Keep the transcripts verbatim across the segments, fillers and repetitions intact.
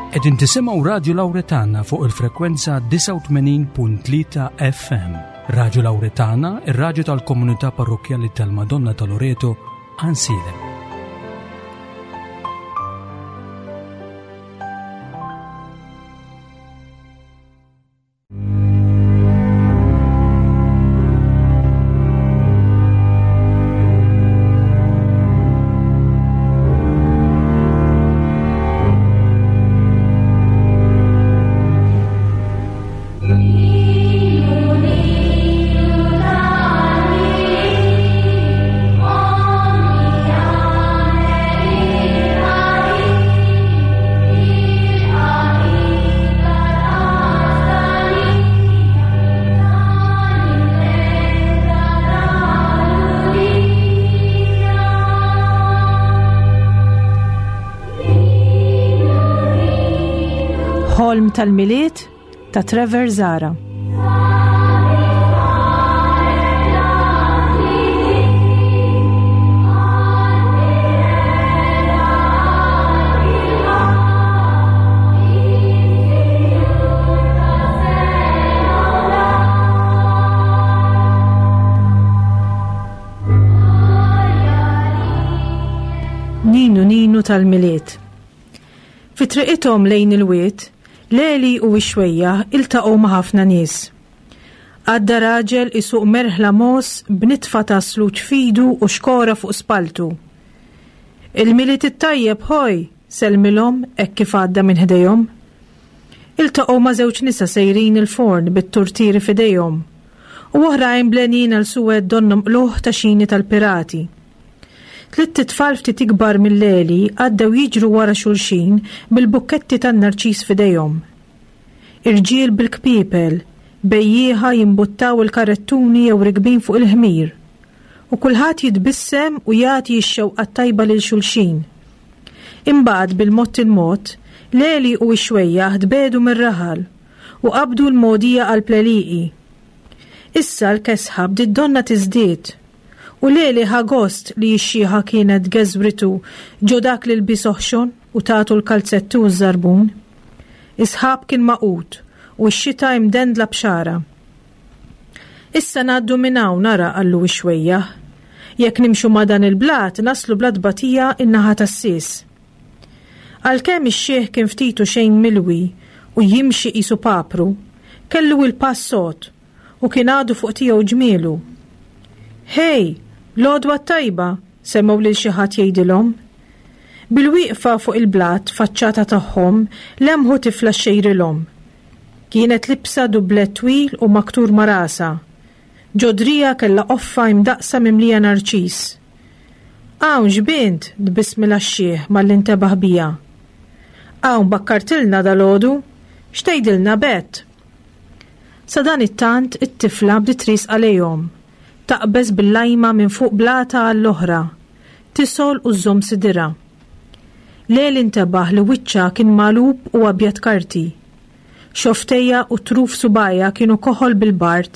Qegħdin tisimgħu Radio Lauretana fuq il-frekwenza disgħa u tmenin punt tlieta F M. Radio Lauretana, ir-radju tal-Komunità Parrokkjali tal-Madonna ta' Loreto, Għajnsielem. Ħolm tal-Milied ta' Trevor Zara. Ninu Ninu tal-Milied. Fi triqithom lejn il-wied, Leli u x-xwejjaħ iltaqgħu ma' ħafna nies. Għadda raġel isuq merħla mogħoż b'nitfa ta' sluġ f'idu u xkora fuq spaltu. "Il-Milied it-tajjeb, ħoj," sellmilhom hekk kif għadda minn ħdejhom. Iltaqgħu ma' żewġ nisa sejrin il-forn bit-turtieri f'idejhom u oħrajn blenjin għal suwed donnhom qlugħ ta' xini tal-pirati. Tlitt itfal ftit ikbar minn Leli għaddew jiġru wara xulxin bil-bukketti tan-narċis f'idejhom. Irġiel bil-kpipel, bejjieħa jimbuttaw il-karettuni jew rikbin fuq il-ħmir. U kulħadd jitbissem u jagħti x-xewqa tajba lil xulxin. Imbagħad bil-mod il-mod, Leli u x-xwejjaħ tbiegħdu mir-raħal u qabdu l-mogħdija għall-għelieqi. Issa l-kesħa bdiet donna tiżdied u Leli ħa gost li x-xiħa kienet geżwritu ġo dak l-ilbies oħxon u tatu l-kalzettu u ż-żarbun. Is-sħab kien magħqud u x-xita imdendla b'xagħra. "Issa ngħaddu minn hawn nara," qallu x-xwejjaħ. "Jekk nimxu ma' dan il-blat naslu bla tbatija in-naħa tas-Sies." Għalkemm ix-xiħ kien ftit u xejn milwi u jimxi qisu papru, kellu il-pass sod u kien għadu fuq tiegħu ġmielu. "Hej, l-għodwa tajba," semgħu lil xi ħadd jgħidilhom. Bil-wieqfa fuq il-blat faċċata tagħhom lemħu tifla xxejrilhom. Kienet liebsa dublet twil u maktur ma' rasha. Ġo driegħha kellha qoffa imdaqqsa mimlija narċis. "Hawn x'bint," tbissmilha x-xiħ malli ntebaħ biha. "Hawn bakkartilna dalgħodu, x'tgħidilna, Bet?" Sadanittant it-tifla bdiet riesqa lejhom, taqbeż bil-lajma minn fuq blata għall-oħra, tisgħol u żżomm sidirha. Leli ntebaħ li wiċċha kien magħlub u abjad karti. Xofftejha u truf subgħajha kienu koħol bil-bard.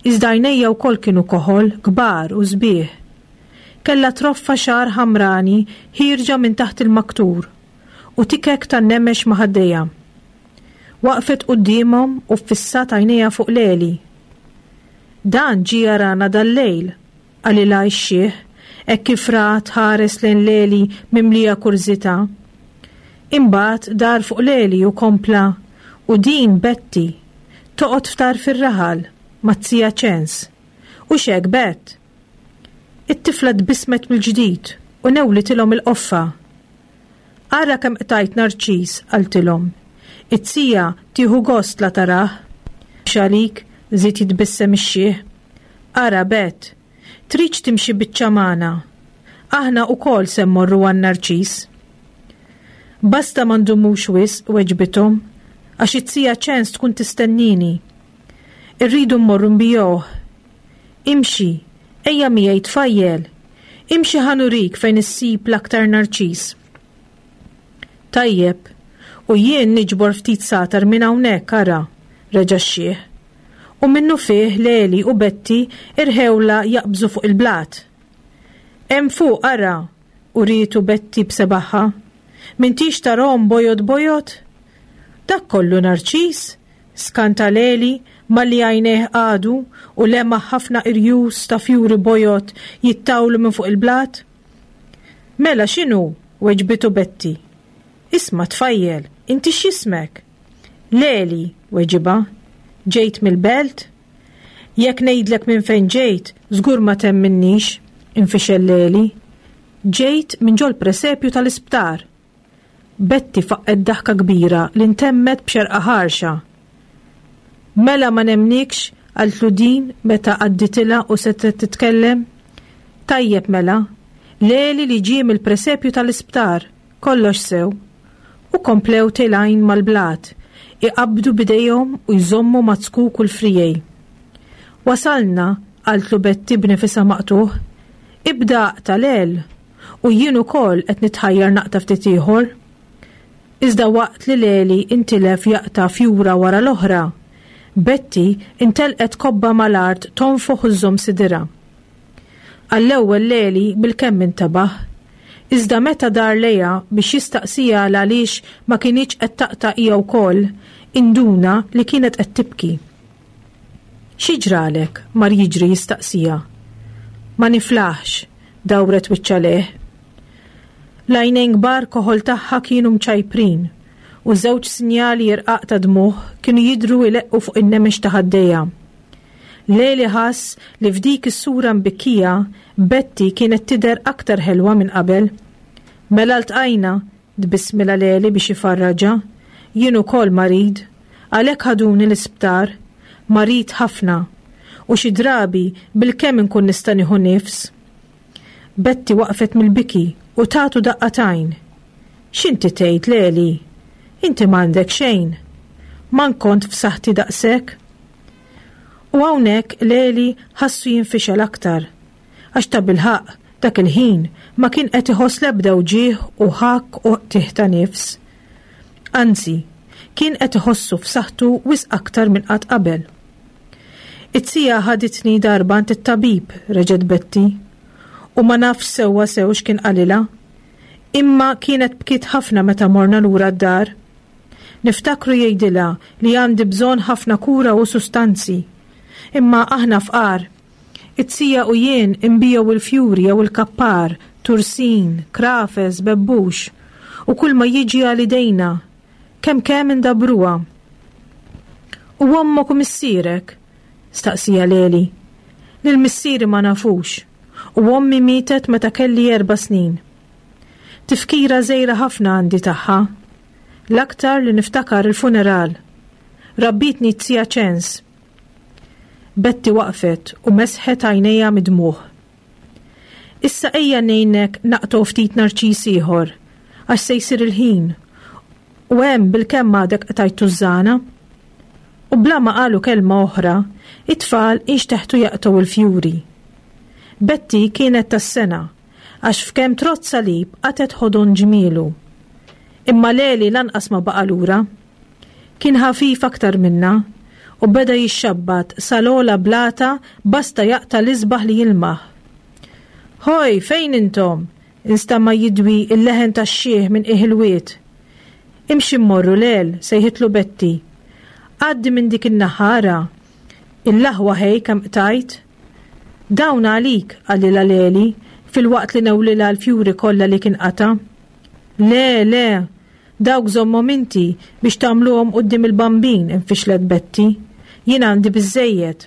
Iżda għajnejha wkoll kienu koħol, kbar u sbieħ. Kella troffa xagħar ħamrani ħierġa minn taħt il-maktur u tikek tan-nemex ma' ħaddejha. Waqfet quddiemhom u ffissat għajnejha fuq Leli. "Dan ġie jarana dal-lejl," qalilha x-xiħ, hekk kif raha tħares lejn Leli mimlija kurżità. Imbagħad dar fuq Leli u kompla, "U din Betty, toqgħod ftar fir-raħal maz-zija Ċens. U xek, Bet?" It-tifla tbissmet mill-ġdid u newlitilhom il-qoffa. "Ara kemm qtajt narċis," qaltilhom. "It-sija tieħu gost la tarah." "Xalik," żied jitbissem ix-xiħ. "Ara, Bet, tridx timxi biċċa magħna? Aħna wkoll se mmorru għan-narċis." "Basta ma ndumux wisq," weġbithom, "għax it-sija Ċens tkun tistennini. Irridu mmorru nbigħuh. Imxi, ejja miegħi, tfajjel. Imxi ħa nurik fejn issib l-aktar narċis." "Tajjeb, u jien niġbor ftit satar minn hawnhekk, ara," reġa' x-xiħ. U minnufih Leli u Betty irħewla jaqbżu fuq il-blat. "Hemm fuq, ara," urietu Betty b'sebagħha. M'intix tarahom bojod bojod? Dak kollu narċis? Skanta Leli malli għajnejh qagħdu u lemaħ ħafna irjus ta' fjuri bojod jittawlu minn fuq il-blat. Mela x'inhu? Weġbitu Betty. Isma' tfajjel, inti x'jismek? Leli, weġibha. Ġejt mill-belt? Jekk ngħidlek minn fejn ġejt, żgur ma temminnix, infixel Leli. Ġejt minn ġol presepju tal-isptar. Betty faqqet daħka kbira li ntemmet b'xerqa ħarxa. Mela ma nemnikx, qaltlu din meta għadditilha u setgħet titkellem. Tajjeb mela, Leli li ġie mill-presepju tal-isptar, kollox sew. U komplew telgħin mal-blat, iqabdu bidejhom u jżommu maz-zkuk u l-friegħi. Wasalna, qaltlu Betty b'nifisha maqtugħ. Ibda aqta' Lel, u jien ukoll qed nitħajjar naqta' ftit ieħor. Iżda waqt li Leli intilef jaqta' fjura wara l-oħra, Betty intelqet kobba mal-art tonfoħ u żżomm sidirha. Għall-ewwel Leli bilkemm intabaħ. Iżda meta dar lejha biex jistaqsiha għaliex ma kinitx qed taqta' hija wkoll, induna li kienet qed tibki. Xi ġralek? Mar jiġri jistaqsiha. Ma niflaħx, dawret wiċċha lejh. L-għajnejn kbar koħol tagħha kienu mċajprin u żewġ sinjali irqaq ta' dmugħ kienu jidhru jleqqu fuq in-nemex ta' ħaddejha. Leli ħass li f'dik is-sura mbikkija Betty kienet tidher aktar ħelwa minn qabel. Mela ltqajna, tbissmilha Leli biex ifarraġha, jien ukoll marid, għalhekk ħaduni l-isptar, marid ħafna, u xi drabi bilkemm inkun nista' nieħu nifs. Betty waqfet mill-biki u tatu daqqa t'għajn. X'inti tgħid Leli? Inti m'għandek xejn. Ma kont f'saħħti daqshekk. U hawnhekk Leli ħassu jinfixel aktar. Għax tabilħaqq dak il-ħin ma kien qed iħoss l-ebda wġigħ u ħakk u qtigħ ta' nifs. Anzi, kien qed iħossu f'saħħtu wisq aktar minn qatt qabel. It-tija ħaditni darba għand it-tabib, reġgħet Betty, u ma nafx sewwa sew x'kien qalilha. Imma kienet bkiet ħafna meta morna lura d-dar. Niftakru jgħidilha li għandi bżonn ħafna kura u sustanzi. Imma aħna fqar. It-tija u jien inbigħu il-fjuri jew il-kappar, tursin, krafes, bebbux, u kull ma jiġi għal idejna, kemm kemm indabruha. U ommok u missierek? Staqsieha Leli. Lil missieri ma nafux, u ommi mietet meta kelli erba' snin. Tifkira żgħira ħafna għandi tagħha. L-aktar li niftakar il-funeral. Rabbietni t-tija Ċens. Betty waqfet u mesħet għajnejha mid-dmugħ. Issa ejja ngħinek naqtgħu ftit narċis ieħor, għax se jsir il-ħin. U hemm bilkemm għadek qtajt tużżana. U bla ma qalu kelma oħra, it-tfal inxteħtu jaqtgħu il-fjuri. Betty kienet tas-sengħa, għax f'kemm trodd salib qatgħet ħodon ġmielu. Imma Leli lanqas ma baqa' lura. Kien ħafif aktar minna u beda jixxabbat sal-ogħla blata basta jaqta' l-isbaħ li jilmaħ. Hoj, fejn intom? Instama' jidwi il-leħen tax-xiħ minn qiegħ il-wied. Imxi mmorru Lel, sejħitlu Betty. Għaddi minn dik in-naħa ara. Il-laħwa ħej kemm qtajt. Dawn għalik, qalilha Leli, filwaqt li newlilha l-fjuri kollha li kien qata'. Le, le, dawk żommhom inti biex tagħmluhom quddiem il-bambin, infixlet Betty. Jien għandi biżżejjed.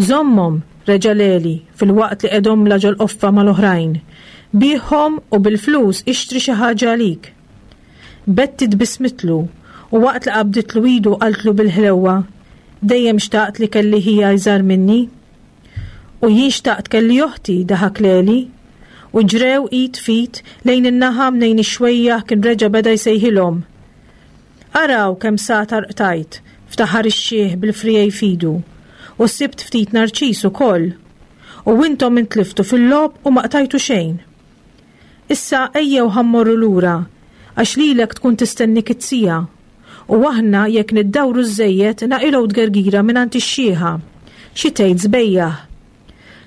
Żommhom, reġa' Leli, filwaqt li qegħedhomlha ġol-qoffa mal-oħrajn. Bigħhom u bil-flus ixtri xi ħaġa għalik. Betty tbissmitlu u waqt li qabditlu idu qaltlu bil-ħlewwa, dejjem xtaqt li kelli ħija iżgħar minni. U jien xtaqt kelli oħti, daħak Leli, u ġrew id f'id lejn in-naħa mnejn ix-xwejjaħ kien reġa' beda jsejħilhom. Araw kemm sagħtar qtajt, ftaħar ix-xiħ bil-friegħi f'idu, u sibt ftit narċis ukoll. U intom intliftu fil-logħob u ma qtajtu xejn. Issa ejjew ħa mmorru lura, għax lilek tkun tistennik it-tija. U aħna jekk niddawru żejjed naqilgħu tgergira mingħand ix-xiħa. Xi tgħid żbejjaħ?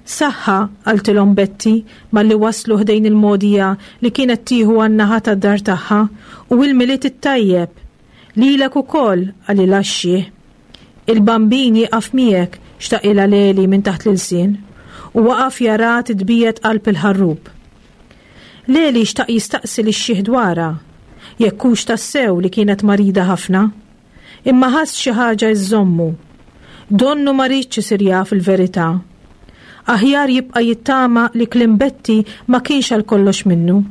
Saħħa, qaltilhom Betty malli waslu ħdejn il-mogħdija li kienet tieħu għan-naħa tad-dar tagħha, u il-Milied it-tajjeb. Lilek ukoll, qalilha x-xiħ. Il-Bambin jieqaf miegħek, xtaqilha Leli minn taħt l-ilsien, u waqaf jara titbiegħed qalb il-ħarrub. Leli xtaq jistaqsi lix-xiħ dwarha, jekk hux tassew li kienet marida ħafna, imma ħass xi ħaġa iżżommu. Donnu ma riedx isir jaf il-verità. Aħjar jibqa' jittama li kliem Betty ma kienx għal kollox minnu.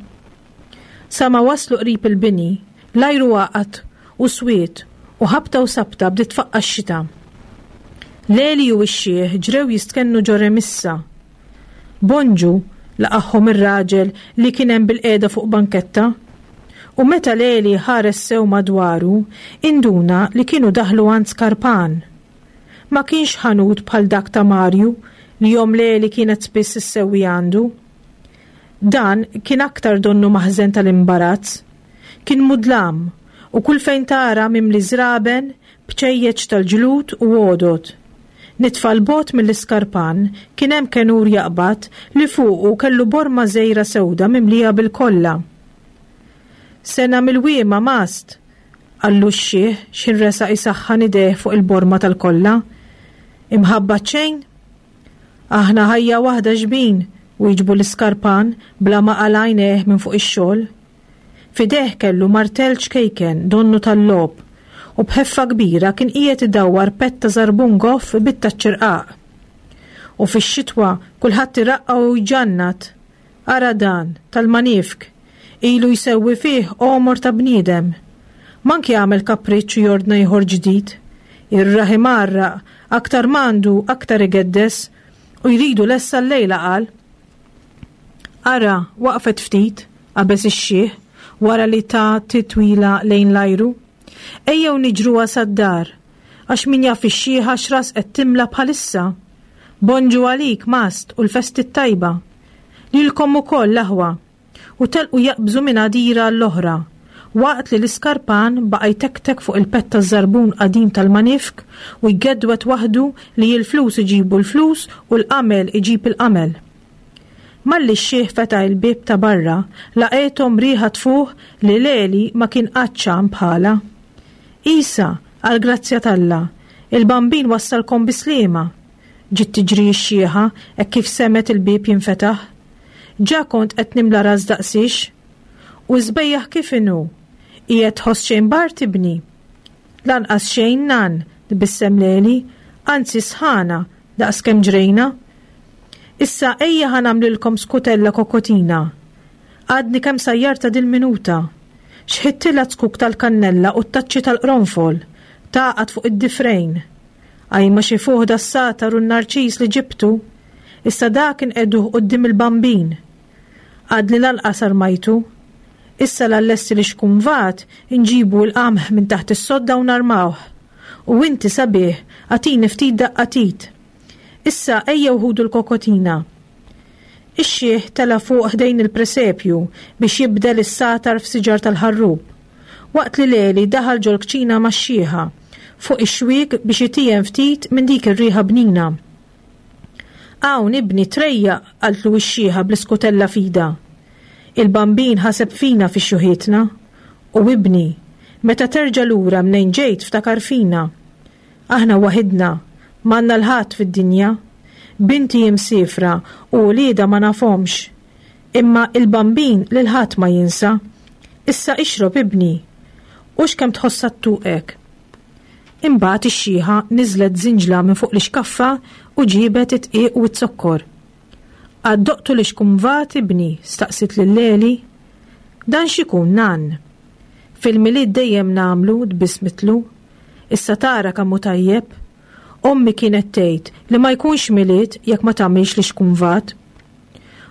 Sa ma waslu qrib il-bini, l-ajru għaqad u swied u ħabta u sabta bdiet tfaqqa' x-xita. Leli u x-xiħ ġrew jistkennu ġo remissa. Bonġu, laqagħhom ir-raġel li kien hemm bil-qiegħda fuq banketta. U meta Leli ħares sew madwaru, induna li kienu daħlu għand Skarpan. Ma kienx ħanut bħal dak ta' Marju li omm Leli kienet spiss issewwi għandu. Dan kien aktar donnu maħżen tal-imbarazz. Kien mudlam u kull fejn tara mimli żraben, bċejjeċ tal-ġlud u għodod. Nitfa 'l bogħod mill-iskarpan kien hemm kenur jaqbad li fuqu kellu borma żgħira sewda mimlija bil-kolla. Sena milwiema mast, qallu x-xiħ x'ħin resaq isaħħan idejh fuq il-borma tal-kolla. Imħabba xejn? Aħna ħajja waħda xbin, wieġbu l-iskarpan bla ma qala' għajnejh minn fuq ix-xogħol. F'idejh kellu martell ċkejken donnu tal-logħob u b'ħeffa kbira kien qiegħed idawwar pett ta' żarbun goff bit-taċċirqaq. U fix-xitwa kulħadd iraqqa u jġannat. Ara dan, tal-manifk, ilu jsewwi fih għomor ta' bniedem. Manki għamel kapriċċ u jordna ieħor ġdid. Ir-raħi marraq, aktar m'għandu aktar igeddes u jridu lesta llejla qal. Ara, waqfet ftit, qabeż ix-xiħ, wara li ta titwila lejn l-ajru. Ejjew niġruha sad-dar, għax min jaf ix-xiħa x'ras qed timla bħalissa. Bonġu għalik, mast, u l-festi t-tajba. Lilkom ukoll l-aħwa. U telqu jaqbżu minn għadira l-oħra, waqt li l-iskarpan baqa' jtektek fuq il-pett taż-żarbun qadim tal-manifk u jgedwet waħdu li l-flus iġibu l-flus u l-qamel iġib il-qamel. Malli x-xiħ fetaħ il-bieb ta' barra, laqgħethom riħa tfuħ li Leli ma kien qatt xamm bħala. Isa, għall-grazzja t'Alla, il-Bambin wassalkom bi sliema. Ġiet tiġri x-xiħa hekk kif semgħet il-bieb jinfetaħ. Ġa kont qed nimla ras daqsix. U żbejjaħ kif inhu? Qiegħed tħoss xejn bard ibni? Lanqas xejn nan, tbissem Leli, anzi sħana, daqs kemm ġrejna. Issa ejja ħa nagħmlilkom skutella kokotina. Għadni kemm sajjarta dil-minuta. Xħittila zkuk tal-kannella u t-taċċi tal-qronfol, tagħqad fuq id-difrejn. Ajma xi fuħ das-satar u n-narċis li ġibtu, issa dak inqegħduh quddiem il-Bambin. Għadni lanqas armajtu. Issa l-allessi li xkumvat inġibu l-qamħ minn taħt is-sodda u narmawh. U inti sabiħ, agħtini ftit daqqa t'id. Issa ejjew ħudu l-kokotina. Ix-xiħ tela' fuq ħdejn il-presepju biex jibdel is-satar f'siġar tal-ħarrub. Waqt li Leli daħal ġol-kċina max-xiħa fuq ix-xwiek biex itiegħem ftit minn dik ir-riħa bnina. Hawn ibni trejjaq, qaltlu x-xiħa bl-iskutella f'idha. Il-Bambin ħaseb fina fi xjuħitna. U ibni, meta terġa' lura mnejn ġejt ftakar fina. Aħna waħidna, m'għandna 'l ħadd fid-dinja. Binti imsiefra u wliedha ma nafhomx. Imma il-Bambin lil ħadd ma jinsa. Issa ixrob ibni. U x'kemm tħossha ttuqek. Imbagħad ix-xiħa niżlet żinġla minn fuq l-ixkaffa u ġibet it-dqiq u z-zokkor. Għad doqtu l-ixkumvat ibni, staqsit lil Leli. Dan x'ikun nan? Fil-Milied dejjem nagħmlu, tbissmitlu. Issa tara kemm hu tajjeb. Ommi kienet tgħid li ma jkunx Milied jekk ma tagħmilx l-ixkumvat.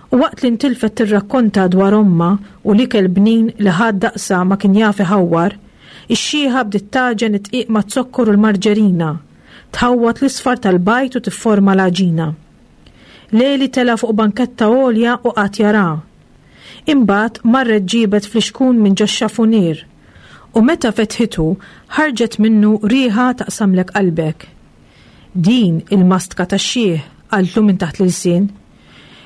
U waqt li ntilfet tirrakkonta dwar omma u l-ikel bnin li ħadd daqsa ma kien jaf iħawwar, ix-xiħa bdiet tagħġen it-dqiq maz-zokkor u l-marġerina, tħawwat l-isfar tal-bajd u tifforma l-għaġina. Leli tela' fuq banketta għolja u qagħad jara. Imbagħad marret ġibet flixkun minn ġox-xafunier u meta fetħitu ħarġet minnu riħa taqsamlek qalbek. Din il-mastka tax-xiħ, qaltlu minn taħt l-ilsien.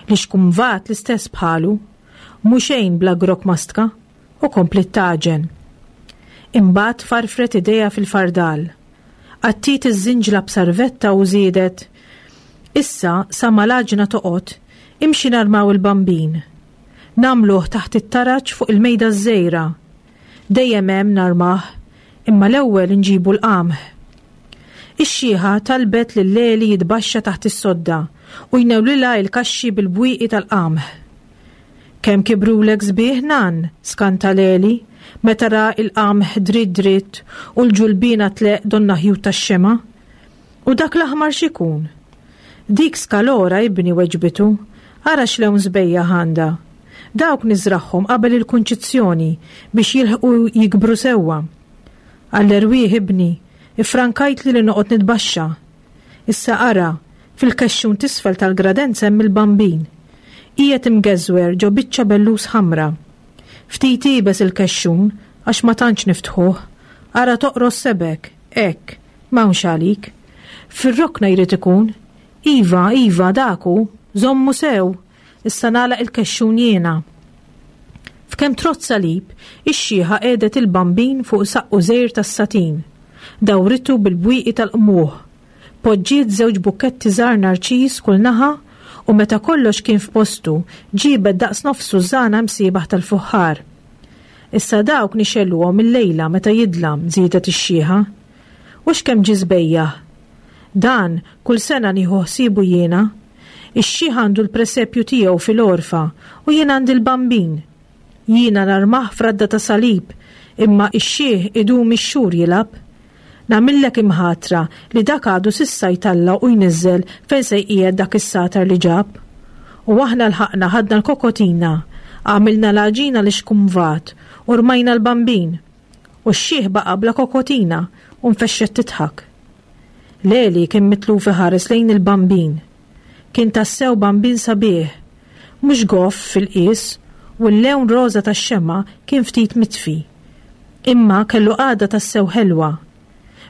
Li xkumvat l-istess bħalu, mhu xejn bla grok mastka, u kompliet tagħġen. Imbagħad farfret idejha fil-fardal. Għattiet iż-żinġla b'sarvetta u żiedet: Issa sa ma l-għaġna toqgħod, imxi narmaw il-bambin. Nagħmluh taħt it-taraġ fuq il-mejda ż-żgħira. Dejjem hemm narmah, imma l-ewwel nġibu l-qamħ. Ix-xiħa talbet lil Leli jitbaxxa taħt is-sodda u jnewlilha l-kaxxi bil-bwieqi tal-qamħ. Kemm kibrulek sbieħ nan, skanta Leli, meta ra il-qamħ dritt dritt u l-ġulbina tleqq donnha ħjut tax-xemgħa. U dak l-aħmar x'ikun? Dik skalora ibni weġbitu, ara x'lewn sbejjaħ għandha. Dawk niżragħhom qabel il-kunċizzjoni biex jilħqu jikbru sewwa. Għall-erwieħ ibni, ifrankajtli li noqgħod nitbaxxa. Issa ara, fil-kexxun t'isfel tal-gradenza hemm il-bambin. Qiegħed imgeżwer ġo biċċa bellus ħamra. Ftit iebes il-kexxun għax ma tantx niftħuh. Ara toqros sebgħek, hekk, m'hawnx għalik. Fir-rokna jrid ikun. Iva, iva, dak hu, żommu sew, issa nagħlaq il-kexxun jiena. F'kemm trodd salib, ix-xiħa qiegħdet il-bambin fuq saqqu żgħir tas-satin. Dawritu bil-bwieqi tal-qmuħ. Poġġiet żewġ bukketti żgħar narċis kull naħa u meta kollox kien f'postu, ġibet daqs nofs sużana msiebaħ tal-fuħħar. Issa dawk nixegħluhom il-lejla meta jidlam, żiedet ix-xiħa. U x'kemm ġie sbejjaħ. Dan kull sena nieħu ħsiebu jiena. Ix-xiħ għandu l-presepju tiegħu fil-għorfa u jien għandi l-bambin. Jiena narmah f'radda ta' salib, imma ix-xiħ idum ix-xhur jilgħab. Nagħmillek imħatra li dak għadu s'issa jtella' u jniżżel fejn se jqiegħed dak is-satar li ġab. U aħna lħaqna ħadna l-kokotina, għamilna l-għaġina li xkumvat u rmajna l-bambin. U x-xiħ baqa' bla kokotina u nfexxet tidħak. Leli kien mitluf iħares lejn il-bambin. Kien tassew bambin sabiħ, mhux goff fil-qies u l-lewn roża tax-xemgħa kien ftit mitfi. Imma kellu qagħda tassew ħelwa.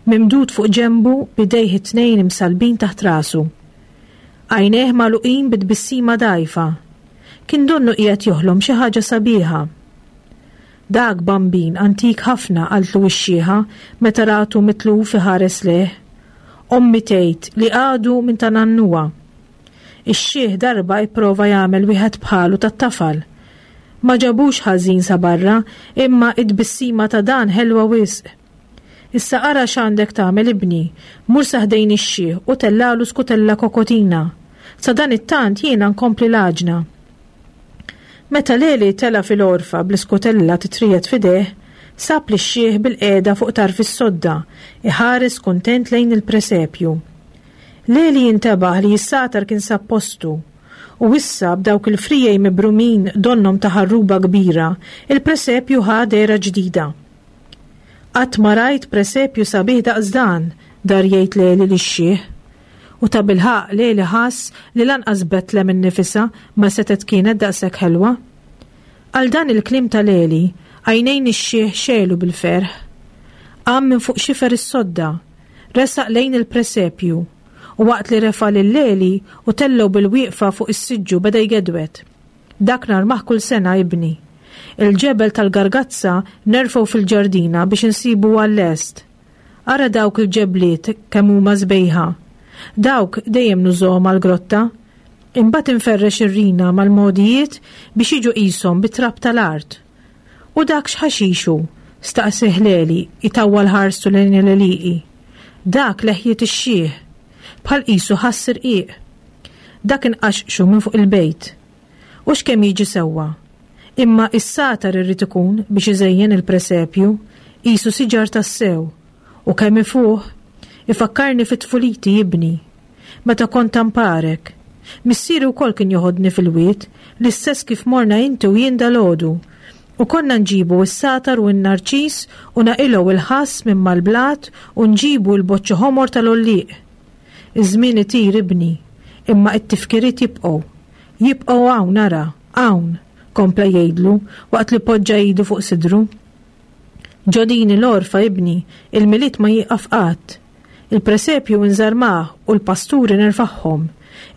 Mimdud fuq ġembu b'idejh it-tnejn imsallbin taħt rasu. Għajnejh magħluqin bit-tbissima dgħajfa. Kien donnu qiegħed joħlom xi ħaġa sabiħa. Dak bambin antik ħafna, qaltlu x-xiħa meta ratu mitluf iħares lejh. Ommi tgħid li għadu minn ta' nannuha. Ix-xiħ darba ipprova jagħmel wieħed bħalu tat-tafal. Ma ġabux ħażin sa barra, imma id-tbissima ta' dan ħelwa wisq. Issa ara x'għandek tagħmel ibni, mur sa ħdejn ix-xiħ u tellalu skutella kokotina. Sa dan it-tant jiena nkompli l-għaġna. Meta Leli tela' fil-għorfa bl-iskutella titriegħed f'idejh, sab lix-xiħ bil-qiegħda fuq tarf is-sodda, iħares kuntent lejn il-presepju. Leli jintebaħ li s-satar kien sab postu, u issa b'dawk il-frijej mibrumin donnom ta' ħarruba kbira, il-presepju ħa dehra ġdida. Qatt ma rajt presepju sabiħ daqs dan, dar jgħid Leli lix-xiħ. U ta' bilħaqq Leli ħass li lanqas Betlem innifisha ma setgħet kienet daqshekk ħelwa. Għal dan il-kliem ta' Leli, għajnejn ix-xiħ xegħlu bil-ferħ. Qam minn fuq xifer is-sodda, resaq lejn il-presepju, u waqt li refa' lil Leli u tellgħu bil-wieqfa fuq is-siġġu beda jgedwet. Dak narmah kull sena ibni. Il-ġebel tal-gargazza nerfgħu fil-ġardina biex insibu għall-lest. Ara dawk il-ġebliet kemm huma sbejħa. Dawk dejjem nużhom għall-grotta. Imbagħad inferrex ir-rina mal-mogħdijiet biex jiġu qishom bit-trab tal-art. U dak x'ħaxixu? Staqsih Leli itawwal ħarstu lejn l-għelieqi. Dak leħjiet ix-xiħ, bħal qisu ħass irqiq. Dak inqaxqxu minn fuq il-bejt. U x'kemm jiġi sewwa? Imma is-satar irrid ikun biex iżejjen il-presepju, qisu siġar tassew, u kemm ifuħ, ifakkarni fit-tfuliti ibni. Meta kont tamparek. Missieri wkoll kien joħodni fil-wied, l-istess kif morna inti u jien dalgħodu. U konna nġibu s-satar u n-narċis u naqilgħu il-ħass minn mal-blat u nġibu l-boċċi ħomor tal-għollieq. Iż-żmien itir ibni, imma it-tifkiriet jibqgħu. Jibqgħu hawn ara, hawn, kompla jgħidlu waqt li poġġa idu fuq sidru. Ġo din l-għorfa ibni, il-Milied ma jieqaf qatt. Il-presepju nżarmah u l-pasturi nerfaħħom.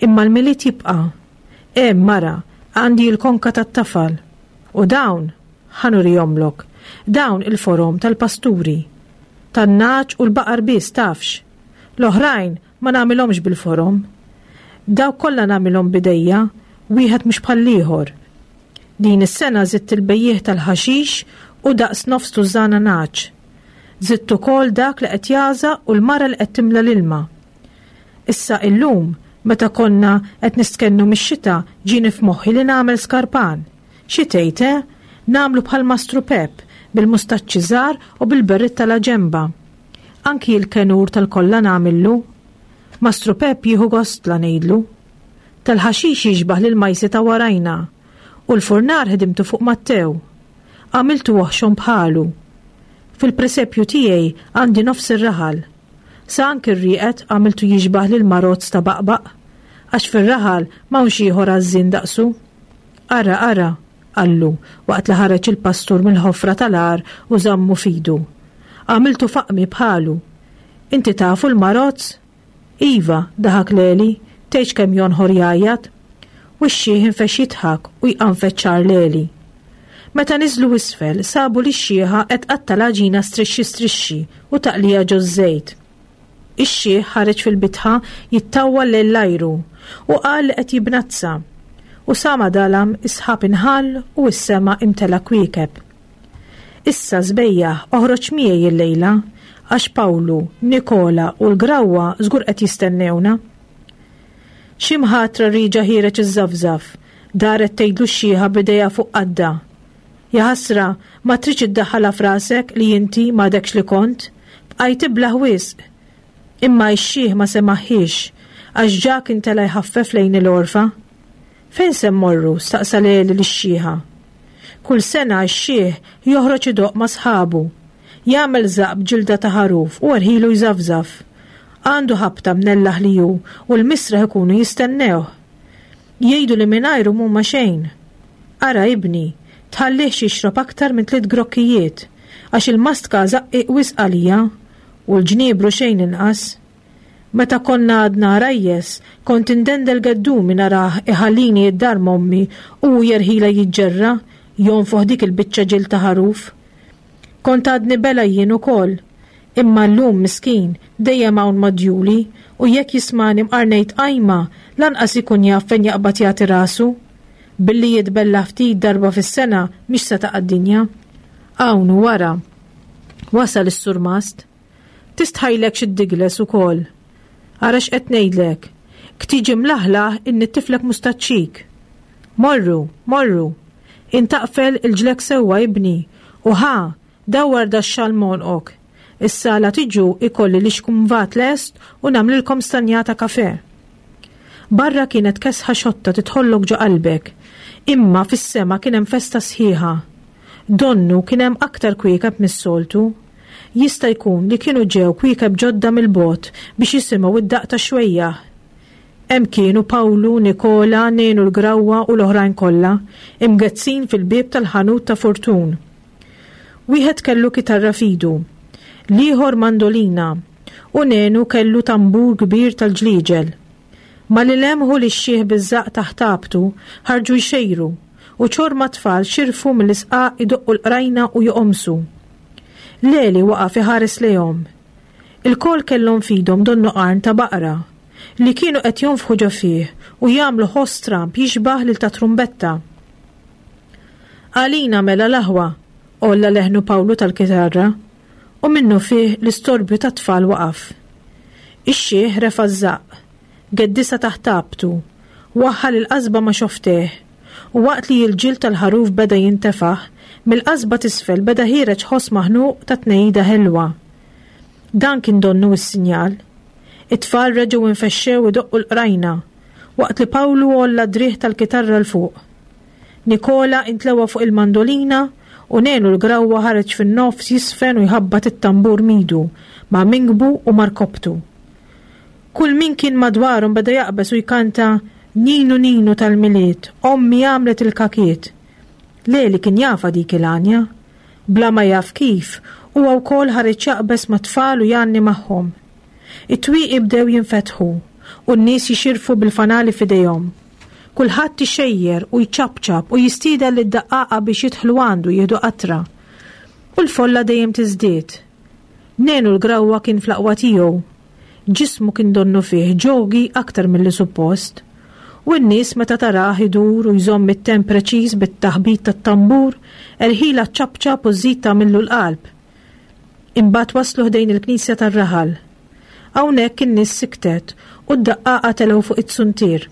Imma l-Milied jibqa'. Hemm mara, għandi l-konka tat-tafal. U dawn, ħa nurihomlok, dawn il-forom tal-pasturi. Tan-nagħaġ u l-baqar biss tafx. L-oħrajn ma nagħmilhomx bil-forom. Dawk kollha nagħmilhom b'idejja, wieħed mhux bħall-ieħor. Din is-sena żidt il-bejjiegħ tal-ħaxix u daqs nofs tużżana nagħaġ. Żidt ukoll dak li qed jagħżaq u l-mara li qed timla l-ilma. Issa illum, meta konna qed nistkennu mix-xita, ġieni f'moħħi li nagħmel skarpan. Xi tgħid, eh? Nagħmlu bħal Mastru Pep, bil-mustaċċi żgħar u bil-berritta la ġemba. Anki l-kenur tal-kolla nagħmillu. Mastru Pep jieħu gost la ngħidlu. Tal-ħaxix jixbah lil majsi ta' warajna u l-furnar ħdimtu fuq Mattew. Għamiltu oħxon bħalu. Fil-presepju tiegħi għandi nofs ir-raħal. Sa anki r-rieqed għamiltu jixbah lil marozz ta' baqbaq, għax fir-raħal m'hawnx ieħor għażżien daqsu. Ara, ara, qallu waqt li ħareġ il-pastur mill-ħofra tal-għar u żammu f'idu. Għamiltu faqmi bħalu. Inti tafu l-marozz? Iva, daħak Leli, tgħidx kemm jonħor jgħajjat. U x-xiħ infexx jidħak u jqanfed xagħar Leli. Meta niżlu isfel, sabu li x-xiħa qed tqatta' l-għaġina strixxi strixxi u taqlija ġoż-żejt. Ix-xiħ ħareġ fil-bitħa jittawwal lejn l-ajru u qal li qed jibnazza. U sa ma dalam is-sħab inħall u s-sema imtela kwiekeb. Issa sbejjaħ oħroġ miegħi illejla għax Pawlu, Nikola u l-Grawwa żgur qed jistennewna. Xi mħatra riġa ħiereġ iż-żafżaf, daret tgħidlu x-xiħa b'idejha fuq qaddha. Jaħasra, ma tridx iddaħħalha f'rasek li inti m'għadekx li kont, bqajt iblah wisq. Imma x-xiħ ma semaħħiex, għax ġa kien tela' jħaffef lejn il-għorfa. Fejn se mmorru? Staqsa Leli lix-xiħa. Kull sena x-xiħ joħroġ idoqq ma' sħabu. Jagħmel żaqq b'ġilda ta' ħaruf u erħilu jżafżaf. Għandu ħabta mnellaħ li hu u l-misraħ ikunu jistennewh. Jgħidu li mingħajru m'huma xejn. Ara ibni, tħallihx jixrob aktar minn tliet grokkijiet, għax il-mastka żaqqiq wisq għalija u l-ġniebru xejn inqas. Meta konna għadna għarajjes, kont indendel geddumi narah iħallini id-dar m'ommi u hu jerħila jiġġerra, jonfoħ dik il-biċċa ġild ta' ħaruf. Kont għadni bela jien ukoll, imma llum miskin dejjem hawn madjuli u jekk jismani mqarnejt qajma lanqas ikun jaf fejn jaqbad jagħti rasu. Billi jitbella ftit darba fis-sena mhix se taqa' d-dinja. Hawn u wara. Wasal is-surmast. Tistħajlek xi ddigles ukoll. Ara x'qed ngħidlek. Ktiġi mlaħlaħ innittiflek mustaċċik. Morru, morru. Intaqfel il-ġlek sewwa ibni u ħa dawwar da x-xal m'għonqok. Issa la tiġu ikolli li xkumvat lest u nagħmlilkom stanjata kafe. Barra kienet kesħa xotta titħollok ġo qalbek, imma fis-sema kien hemm festa sħiħa. Donnu kien hemm aktar kwiekeb mis-soltu. Jista' jkun li kienu ġew kwiekeb ġodda mill-bogħod biex jisimgħu id-daqq ta' xwejjaħ. Hemm kienu Pawlu, Nikola, Nenu l-Grawwa u l-oħrajn kollha, imgezzin fil-bieb tal-ħanut ta' Fortun. Wieħed kellu kitarra f'idu, l-ieħor mandolina, u Nenu kellu tambur kbir tal-ġliġel. Ma li lemħu li x-xiħ biż-żaqq taħt għabtu ħarġu jxejru u ċorma tfal xirfu mill-isqaq idoqqu l-qrajna u joqomsu. Leli waqaf iħares lejhom. Il-kol kellhom f'idhom donnu qarn ta' baqra li kienu qed jonfħu ġo fih u jagħmlu ħoss stramb jixbah lil ta' trumbetta. Għalina mela l-aħwa, għolla leħnu Pawlu tal-kitarra, u minnu fih l-istorbju ta' tfal waqaf. Ix-xiħ refa' ż-żaqq, geddisa taħt għabtu, waħħal il-qasba ma' xofteh, u waqt li l-ġild tal-ħaruf beda jintefaħ, mill-qasba t'isfel beda ħiereġ ħoss maħnuq ta' tnejida ħelwa. Dan kien donnu s-sinjal. It-tfal reġgħu infexxew idoqqu l-qrajna, waqt li Pawlu għolla driegħ tal-kitarra 'l fuq. Nikola intlewa fuq il-mandolina u Nenu l-Grawwa ħareġ fin-nofs jisfen u jħabbat it-tambur midu ma' mingbu u markobtu. Kull min kien madwarhom beda jaqbeż u jkanta Ninu Ninu tal-Milied, ommi għamlet il-kakiet. Leli kien jafa dik il-għanja. Bla ma jaf kif, huwa wkoll ħareġ jaqbeż ma' tfal u jgħanni magħhom. It-twieqi bdew jinfetħu u n-nies jixirfu bil-fanali f'idejhom. Kulħadd ixejjer u jċapċap u jistieden lid-daqqaqa biex jidħlu għandu jieħdu qatra. U l-folla dejjem tiżdied. Nenu l-Grawwa kien fl-aqwa tiegħu. Ġismu kien donnu fih ġogi aktar milli suppost. U n-nies meta tarah idur u jżomm it-temp preċiż bit-taħbit tat-tambur, erħila ċapċap u żżid tagħmillu l-qalb. Imbagħad waslu ħdejn il-knisja tar-raħal. Hawnhekk in-nies siktet u d-daqqaqa telgħu fuq it-suntier.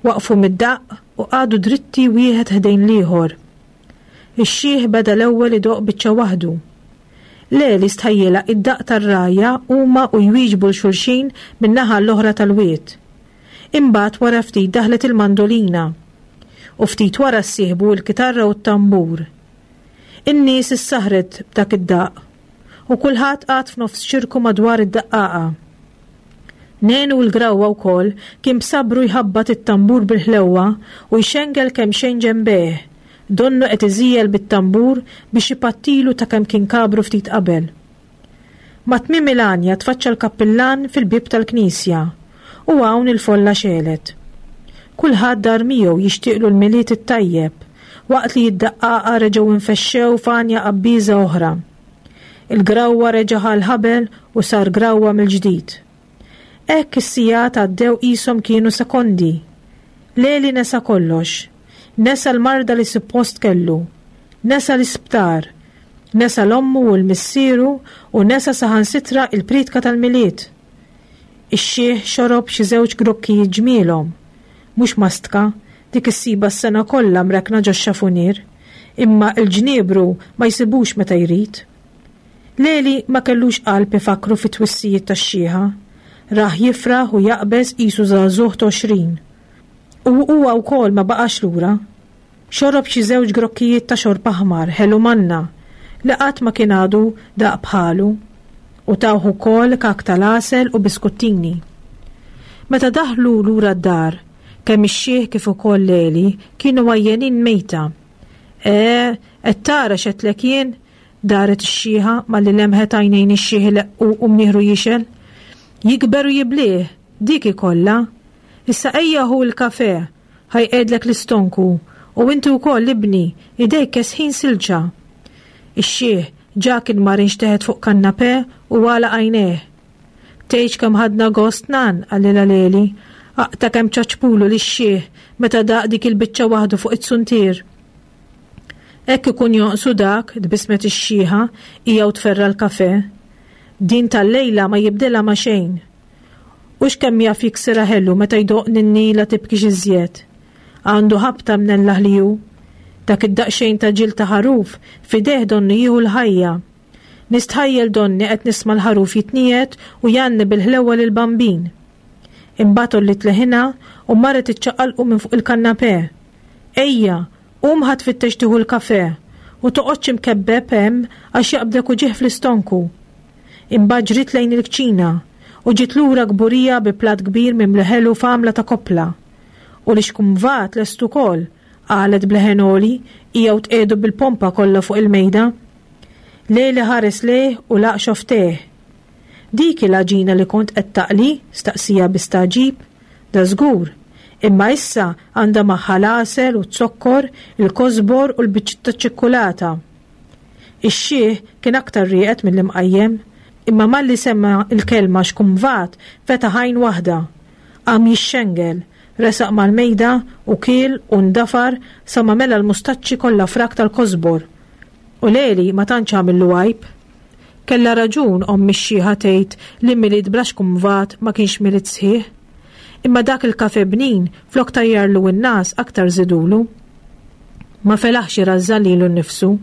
Waqfu mid-daqq u qagħdu dritti wieħed ħdejn l-ieħor. Ix-xiħ beda l-ewwel idoqq biċċa waħdu. Leli stħajjilha id-daqq tar-rgħajja huma u jwieġbu 'l xulxin min-naħa l-oħra tal-wied. Imbagħad wara ftit daħlet il-mandolina u ftit wara ssieħbu l-kitarra u t-tambur. In-nies issaħret b'dak id-daqq u kulħadd qagħad f'nofs ċirku madwar id-daqqaqa. Nenu l-Grawwa wkoll kien b'sabru jħabbat it-tambur bil-ħlewwa u jxengel kemxejn ġenbejh, donnu qed iżiegħel bit-tambur biex ipattilu ta' kemm kien kabru ftit qabel. Ma' tmiem il-għanja tfaċċa l-kappillan fil-bieb tal-knisja u hawn il-folla xegħlet. Kulħadd dar miegħu jixtieqlu l-Milied it-tajjeb, waqt li d-daqqaqa reġgħu infexxew f'għanja qabbiża oħra. Il-Grawwa reġa' ħa l-ħabel u sar grawwa mill-ġdid. Hekk is-sigħat għaddew qishom kienu sekondi. Leli nesa kollox. Nesa l-marda li suppost kellu. Nesa l-isptar. Nesa l-ommu u l-missieru u nesa saħansitra il-priedka tal-Milied. Ix-xiħ xorob xi żewġ grokkijiet ġmielhom. Mhux mastka, dik issiba s-sena kollha mrekkna ġox-xafunier, imma l-ġniebru ma jsibux meta jrid. Leli ma kellux qalb ifakru fit-twissijiet tax-xiħa. Rah jifraħ u jaqbeż qisu żagħżugħ t'għoxrin. U huwa wkoll ma baqax lura. Xorob xi żewġ grokkijiet ta' xorb aħmar ħelu manna li qatt ma kien għadu daq bħalu u tawh ukoll kak tal-għasel u biskuttini. Meta daħlu lura d-dar, kemm ix-xiħ kif ukoll Leli kienu għajjenin mejta. E, qed tara x'għedtlek jien? Daret ix-xiħa malli lemħet għajnejn ix-xiħ ileqqu u mnieħru jixgħel. Jikber u jiblieh, dik ikollha. Issa ejja ħu l-kafè, ħa jqegħdlek l-istonku, u inti wkoll ibni, idejk kesħin silġa. Ix-xiħ ġa kien mar inxteħet fuq kannapè u għalaq għajnejh. Tgħidx kemm ħadna gost nan, qalilha Leli, aqta' kemm ċaċpulu lix-xiħ meta daq dik il-biċċa waħdu fuq it-suntier. Hekk ikun jonqsu dak, tbissmet ix-xiħa, hija u tferra l-kafè. Din tal-lejla ma jibdilha ma' xejn. U x'kemm jaf jiksirha ħelu meta jdoqq ninnila tibkix iżjed. Għandu ħabta mnellaħ li hu. Dak id-daqsxejn ta' ġild ta' ħaruf f'idejh donnu jieħu l-ħajja. Nistħajjel donni qed nisma' l-ħaruf jitniegħed u jgħanni bil-ħlewwa lill-bambin. Imbagħad għolliet leħinha u marret iċċaqalqu minn fuq il-kannapè. Ejja, qum ħa tfittex tieħu l-kafè u toqgħodx imkebbeb hemm għax jaqbdek uġigħ fl-istonku. Imbagħad ġriet lejn il-kċina u ġiet lura kburija bi platt kbir mimli ħelu f'għamla ta' koppla. U li xkumvat lest ukoll, qalet b'leħen għoli, hija u tqiegħdu bil-pompa kollha fuq il-mejda. Leli ħares lejh u laq xoftejh. Dik il-għaġina li kont qed taqli? Staqsija bi stagħġib. Da żgur, imma issa għandha magħha l-għasel u z-zokkor, il-kosbor u l-biċċiet taċ-ċikkulata. Ix-xiħ kien aktar rieqed mill-imqajjem, imma malli semma l-kelma xkumvat fetaħ għajn waħda. Qam jixxengel, resaq mal-mejda u kiel u ndafar sa ma mela l-mustaċċi kollha frak tal-kosbor. U Leli ma tantx għamillu għajb. Kellha raġun omm ix-xiħa tgħid li Milied bla xkumvat ma kienx Milied sħiħ. Imma dak il-kafe bnin flok tajjarlu n-nas aktar żidulu. Ma felaħx irażżan lilu nnifsu.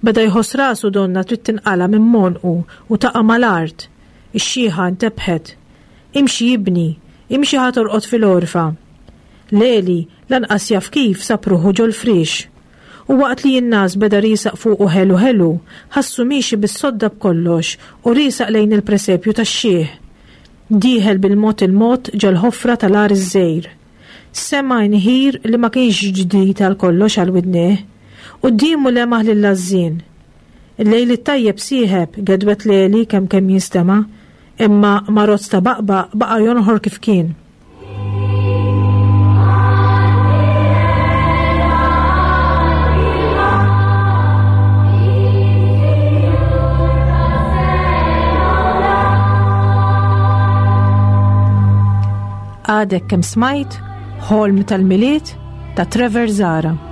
Beda jħoss rasu donna trid tinqala' minn monqu u taqa' mal-art. Ix-xiħa ntebħet. Imxi ibni, imxi ħa torqod fil-għorfa. Leli lanqas jaf kif sab ruħu ġol-friex. U waqt li n-nas beda riesaq fuqu ħelu ħelu, ħassu miexi bis-sodda b'kollox u riesaq lejn il-presepju tax-xiħ. Dieħel bil-mod il-mod ġol-ħofra tal-għar iż-żgħir. Sema' inħir li ma kienx ġdid għal kollox għal widnejh. Quddiemu lemaħ lill-għażżien. Il-lejl it-tajjeb sieħeb, gedwet Leli kemm kemm jinstema', imma marozz ta' baqbaq baqa' jonħor kif kien. Għadek kemm smajt Ħolm tal-Milied ta' Trevor Zahra.